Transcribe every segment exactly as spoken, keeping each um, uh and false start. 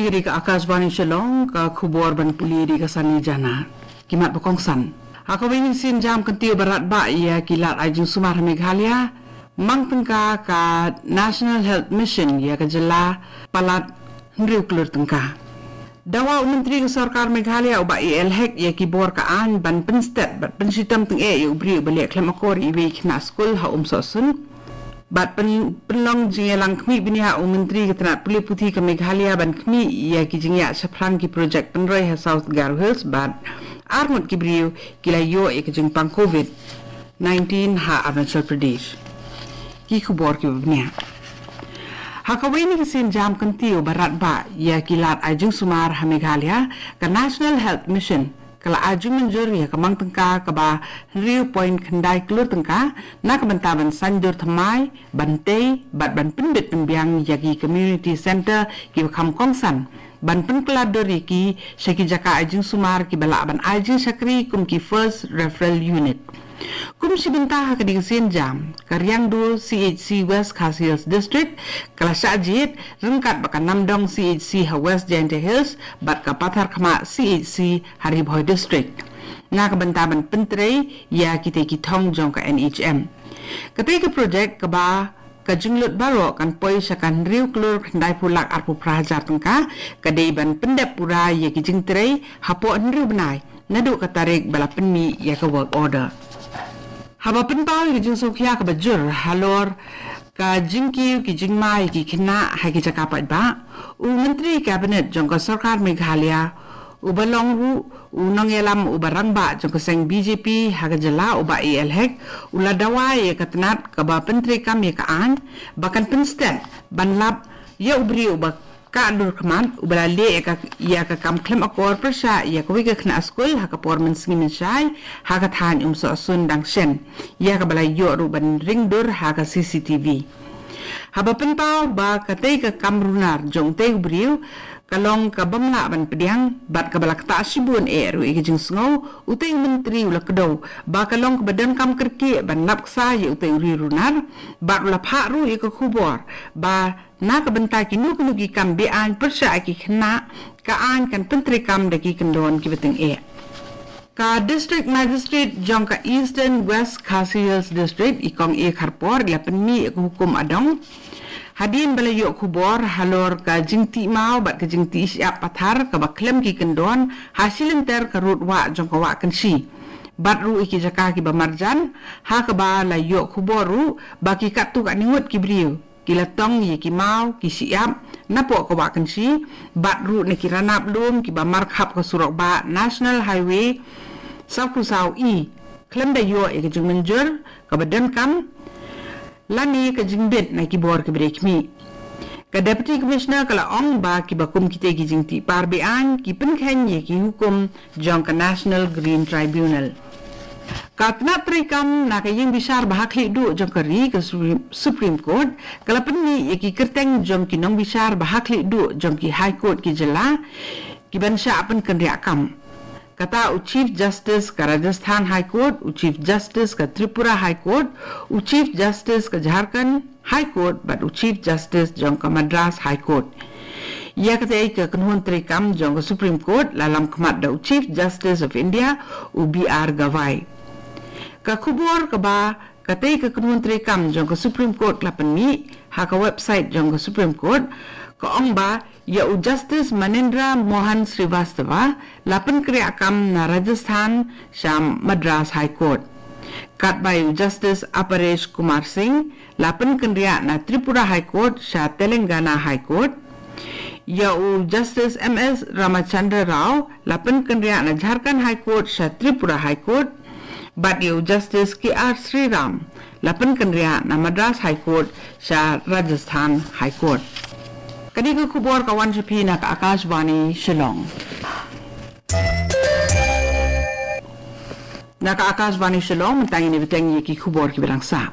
Ri ka Akashvani Shillong, ka khubor ban pule da ka Sani Jana. Ki mat ba kongsan. Ha kawei ka sienjam kyntiew ba radbah ïa ki lad ai jingsumar ha Meghalaya, mang tyngka ka National Health Mission ïa ka jylla palat hynriew klur tyngka. Dawa u Myntri ka Sorkar Meghalaya u Bah A L Hek ïa ki bor ka aiñ ban pynstet bad pynshitom tyngeh ïa u briew uba leh khlem akor ïa iwei i khynnah skul ha Umsohsun. Bad pyn-, pynlong jingïalang khmih bniah u Myntri ka tnat pule puthi ka Meghalaya ban khmih ïa ki jingïaid shaphrang ki projek pynroi ha South Garo Hills bad arngut ki briew ki la ïoh ïa ka jingpang covid nineteen ha Arunachal Pradesh. Ki khubor kiba bniah. Ha kawei ka sienjam kyntiew ba radbah ïa ki lad ai jingsumar ha Meghalaya, ka National Health Mission ka la ai jingmynjur ïa ka mang tyngka kaba hynriew point khyndai klur tyngka na ka bynta ban saiñdur thymmai, ban tei bad ban pynbit pynbiang ïa ki community centre kiba kham kongsan, ban pynkylla dur ïa ki sha ki jaka ai jingsumar kiba lah ban ai jingshakri kum ki first referral unit. Kum shi bynta ha kane ka sienjam, ka Riangdo C H C West Khasi Hills District ka la shah jied ryngkat bad ka Namdong C H C ha West Jaintia Hills bad ka Patharkhmah C H C ha Ri Bhoi District na ka bynta ban pyntrei ïa kitei ki thong jong ka N H M. Katei ka projek kaba ka jinglut baroh kan poi sha ka hynriew klur khyndai phew lak arphew phra hajar tyngka, ka dei ban pyndep pura ïa ki jingtrei hapoh hynriew bnai naduh ka tarik ba la pynmih ïa ka work order. Haba pynpaw ïa ka jingsngewkhia kaba jur halor ka jingkiew ki jingma ïa ki khynnah ha ki jaka paidbah, u Myntri Cabinet jong ka Sorkar Meghalaya, uba long ruh u nongïalam uba rangbah jong ka seng B J P ha ka jylla u Bah A L Hek, u la dawa ïa ka tnat kaba pyntreikam ïa ka aiñ ba kan pynstet ban lap ïa u briew uba kah dur khmat uba la leh ïa ka, ïa ka kam khlem akor pyrshah ïa kawei ka khynnah skul ha ka por mynsngi mynshai ha ka thaiñ Umsohsun dang shen, ïa kaba la ïoh ruh ban ring dur ha ka C C T V. Haba pynpaw ba katei ka kam runar jong utei u briew ka long ka bym lah ban pdiang bad kaba la ktah shibun eh ruh ïa ka jingsngew, utei u Myntri u la kdew ba ka long kaba donkam kyrkieh ban lap ksa ïa utei u riewrunar bad u la phah ruh ïa ka khubor ba na ka bynta kino kino ki kam be-aiñ pyrshah ïa ki khynnah, ka aiñ kan pyntreikam da ki kyndon kiba tyngeh. Ka District Magistrate jong ka Eastern West Khasi Hills District, i Kong A Kharpor, i la pynmih ïa ka hukum adong hadien ba la ïoh khubor halor ka jingtih maw bad ka jingtih shyiap pathar kaba khlem ki kyndon ha shilynter ka rud wah jong ka Wah Kynshi bad ruh ïa ki jaka kiba marjan, ha kaba la ïoh khubor ruh ba ki katto katne ngut ki briew ki la tong ïa ki maw ki shyiap napoh ka Wah Kynshi bad ruh na ki ranab lum kiba markhap ka surok bah National Highway sawphew saw E khlem da ïoh ïa ka jingmynjur kaba donkam lane ka jingbit na ki bor kiba dei khmih. Ka Deputy Commissioner ka la ong ba kiba kum kitei ki jingtih par be-aiñ ki pynkheiñ ïa ki hukum jong ka National Green Tribunal. Ka tnat treikam na ka ïing bishar ba ha khlieh duh jong ka ri, ka Supreme, Supreme Court, ka la pynmih ïa ki kyrteng jong ki nongbishar ba ha khlieh duh jong ki High Court ki jylla kiban shah pynkynriah kam. Kata u Chief Justice ka Rajasthan High Court, u Chief Justice ka Tripura High Court, u Chief Justice ka Jharkhand High Court bad u Chief Justice jong ka Madras High Court. Ïa katei ka kynhun treikam jong ka Supreme Court la lam khmat da u Chief Justice of India, u B R Gavai. Ka khubor kaba katei ka kynhun treikam jong ka Supreme Court la pynmih ha ka website jong ka Supreme Court ka ong ba ïa u Justice Manindra Mohan Srivastava la pynkynriah kam na Rajasthan sha Madras High Court. Katba ïa u Justice Aparesh Kumar Singh la pynkynriah na Tripura High Court sha Telangana High Court. Ïa u Justice M S Ramachandra Rao la pynkynriah na Jharkhand High Court sha Tripura High Court. Bad ïa u Justice K R Sriram la pynkynriah na Madras High Court sha Rajasthan High Court. Kane ka khubor ka wan sha phi na ka Akashvani Shillong. Na ka Akashvani Shillong, mynta ngin ïa bteng ïa ki khubor kiba dang sah.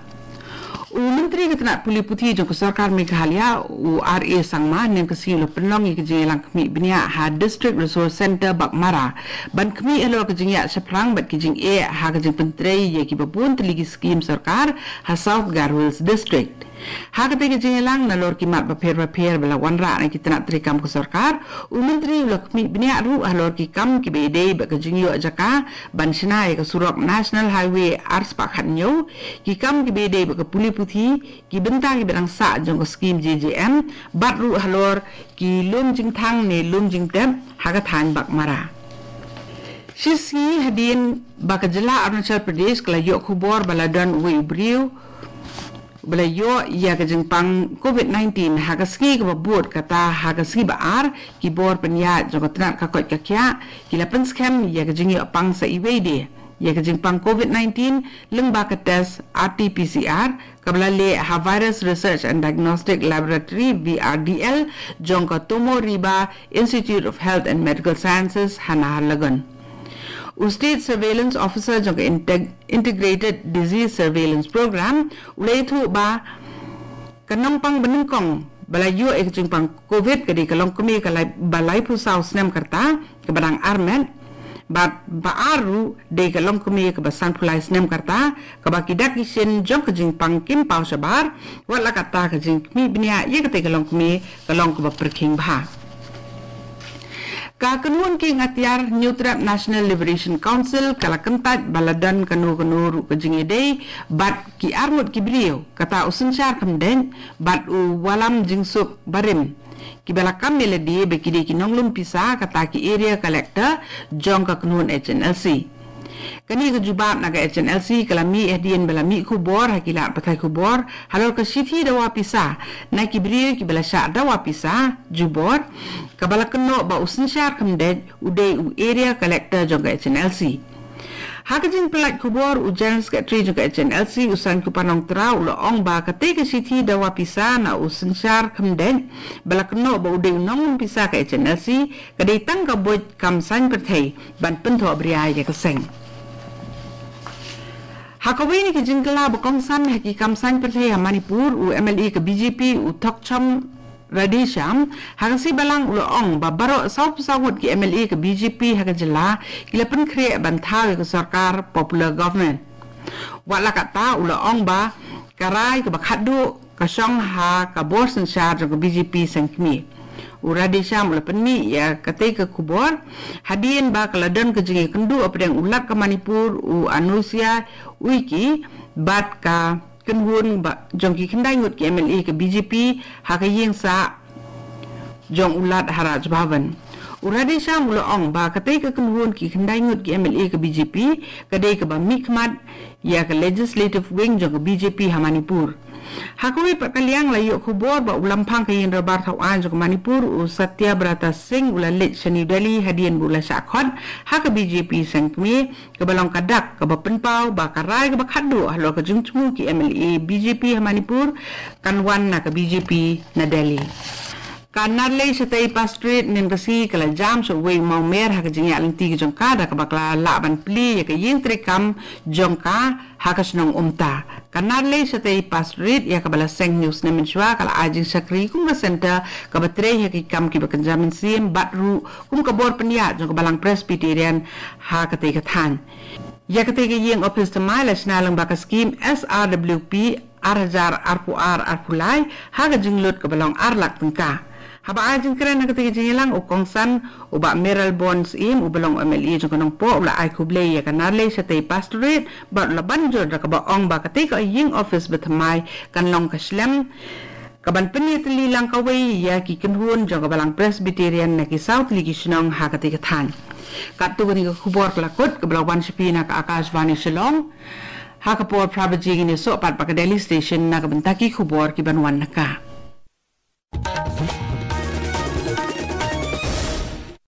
U Myntri ka tnat pule puthi jong ka Sorkar Meghalaya, u R A Sangma, mynne ka sngi u la pynlong ïa ka jingïalang khmih bniah ha District Resource Centre Baghmara ban khmih halor ka jingïaid shaphrang bad ka jingeh ha ka jingpyntrei ïa kiba bun tylli ki skim sorkar ha South Garo Hills District. Ha katei ka jingïalang nalor ki mat bapher bapher ba la wanrah na ki tnat treikam ka sorkar, u Myntri u la khmih bniah ruh halor ki kam kiba ïadei bad ka jingïoh jaka ban shna ïa ka surok National Highway ar spah khatñiew, ki kam kiba ïadei bad ka pule puthi, ki bynta kiba dang sah jong ka skim J J M, bad ruh halor ki lum jingthang ne lum jingtep ha ka thaiñ Baghmara. Shisngi hadien ba ka jylla Arunachal Pradesh ka la ïoh khubor ba la don uwei u briew ba la ïoh ïa ka jingpang covid nineteen ha ka sngi kaba bud, kata ha ka sngi ba ar ki bor pynïaid jong ka tnat ka koit ka khiah ki la pynskhem ïa ka jingïoh pang sa iwei de ïa ka jingpang covid nineteen lyngba ka test R T P C R kaba la leh ha Virus Research and Diagnostic Laboratory, V R D L, jong ka Tomo Riba Institute of Health and Medical Sciences ha Naharlagun. U State Surveillance Officer jong ka Integ- Integrated Disease Surveillance Program u la ïathuh ba ka nongpang banyngkong ba la ïoh ïa ka jingpang covid ka dei ka longkmie ka lai- ba laiphew saw snem ka rta kaba dang armet, bad ba ar ruh dei ka longkmie kaba sanphew lai snem ka rta, kaba ki dak ki shin jong ka jingpang kim paw shabar, wat la katta ka jingkhmih bniah ïa katei ka longkmie ka long kaba pyrkhing bha. Ka kynhun kieng atiar Hynñiewtrep National Liberation Council ka la kyntait ba la don kano kano ruh ka jingïadei bad ki arngut ki briew, kata u Synshar Khymdeit bad u Wallamjingsuk Barim, kiba la kam ïa lade ba ki dei ki nonglum pisa, kata ki area collector jong ka kynhun H N L C. Kane ka jubab na ka H N L C ka la mih hadien ba la mih khubor ha ki lad pathai khubor halor ka shithi dawa pisa na ki briew kiba la shah dawa pisa jubor, kaba la kynnoh ba u Synshar Khymdeit u dei u area collector jong ka H N L C. Ha ka jingpyllait khubor, u General Secretary jong ka H N L C, u Saiñkupar Nongtraw, u la ong ba katei ka shithi dawa pisa na u Synshar Khymdeit ba la kynnoh ba u dei u nonglum pisa ka H N L C ka dei tang ka buit kam saiñ pyrthei ban pynthoh bria ïa ka seng. Ha kawei na ki jingkylla ba kongsan ha ki kam saiñ pyrthei ha Manipur, u M L A ka B J P u Thokchom Radheshyam ha ka sngi Balang u la ong ba baroh sawphew saw ngut ki M L A ka B J P ha ka jylla ki la pynkhreh ban thaw ïa ka sorkar popular government. Wat la katta u la ong ba ka rai kaba khatduh ka shong ha ka bor synshar jong ka B J P seng kmie. U Radheshyam u la pynmih ïa katei ka khubor hadien ba ka la don ka jingïakynduh hapdeng u Lat ka Manipur u Anusuiya Uikey bad ka kynhun ba jong ki khyndai ngut ki M L A ka B J P ha ka ïing sah jong u Lat ha Raj Bhavan. U Radheshyam u la ong ba katei ka kynhun ki khyndai ngut ki M L A ka B J P ka dei kaba mihkhmat ïa ka legislative wing jong ka B J P ha Manipur. Ha kawei pat ka liang, la ïoh khubor ba u Lamphang ka ïing dorbar thaw aiñ jong ka Manipur u Satyabrata Singh u la leit sha New Delhi hadien ba u la shah khot ha ka B J P seng kmie, kaba long ka dak kaba pynpaw ba ka rai kaba khatduh halor ka jingthmu ki M L A B J P ha Manipur kan wan na ka B J P na Delhi. Ka Narlei Shatei Pastorate mynta ka sngi ka la jam sha uwei u mawmer ha ka jingïaid lynti ka jong ka, da kaba ka la lah ban plie ïa ka ïing treikam jong ka ha ka shnong Umta. Ka Narlei Shatei Pastorate, ïa kaba la seng hynñiew snem mynshuwa, ka la ai jingshakri kum ka center kaba trei ha ki kam kiba kynja mynsiem bad ruh kum ka bor pynïaid jong ka Balang Presbyterian ha katei ka thaiñ. Ïa katei ka ïing office thymmai la shna lyngba ka skim S R W P ar hajar arphew ar arphew lai ha ka jinglut kaba long ar lak tyngka. Haba ai jingkren ha katei ka jingïalang, u kongsan u Bah Mayralborn Syiem uba long M L A jong ka Nongpoh u la ai khublei ïa ka Narlei Shatei Pastorate bad u la ban jur da kaba ong ba katei ka ïing office ba thymmai kan long ka shlem kaban pynïatylli lang kawei ïa ki kynhun jong ka Balang Presbyterian na ki saw tylli ki shnong ha katei ka thaiñ. Katto kane ka khubor ka la kut, kaba la wan sha phi na ka Akashvani Shillong. Ha ka por phra baje ngin ïasoh pat bad ka Delhi Station na ka bynta ki khubor kiban wan na ka.